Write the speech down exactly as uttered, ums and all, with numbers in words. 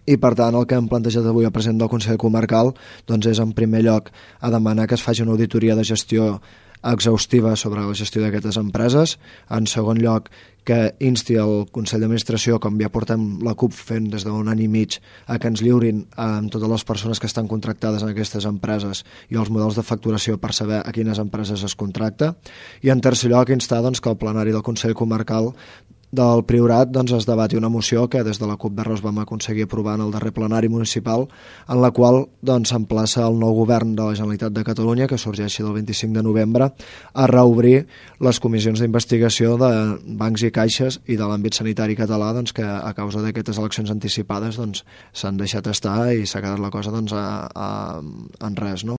i per tant el que hem plantejat avui al president del Consell Comarcal doncs és en primer lloc a demanar que es faci una auditoria de gestió exhaustiva sobre la gestió d'aquestes empreses, en segon lloc que insti el Consell d'Administració, com ja portem la CUP fent des d'un any i mig, a que ens lliurin amb totes les persones que estan contractades en aquestes empreses i els models de facturació per saber a quines empreses es contracta, i en tercer lloc instar doncs, que el plenari del Consell Comarcal del Priorat doncs, es debati una moció que des de la CUP Verros vam aconseguir aprovar en el darrer plenari municipal, en la qual doncs, s'emplaça el nou govern de la Generalitat de Catalunya, que sorgeixi del vint-i-cinc de novembre, a reobrir les comissions d'investigació de bancs i caixes i de l'àmbit sanitari català, doncs, que a causa d'aquestes eleccions anticipades doncs, s'han deixat estar i s'ha quedat la cosa doncs, a, a, en res. No?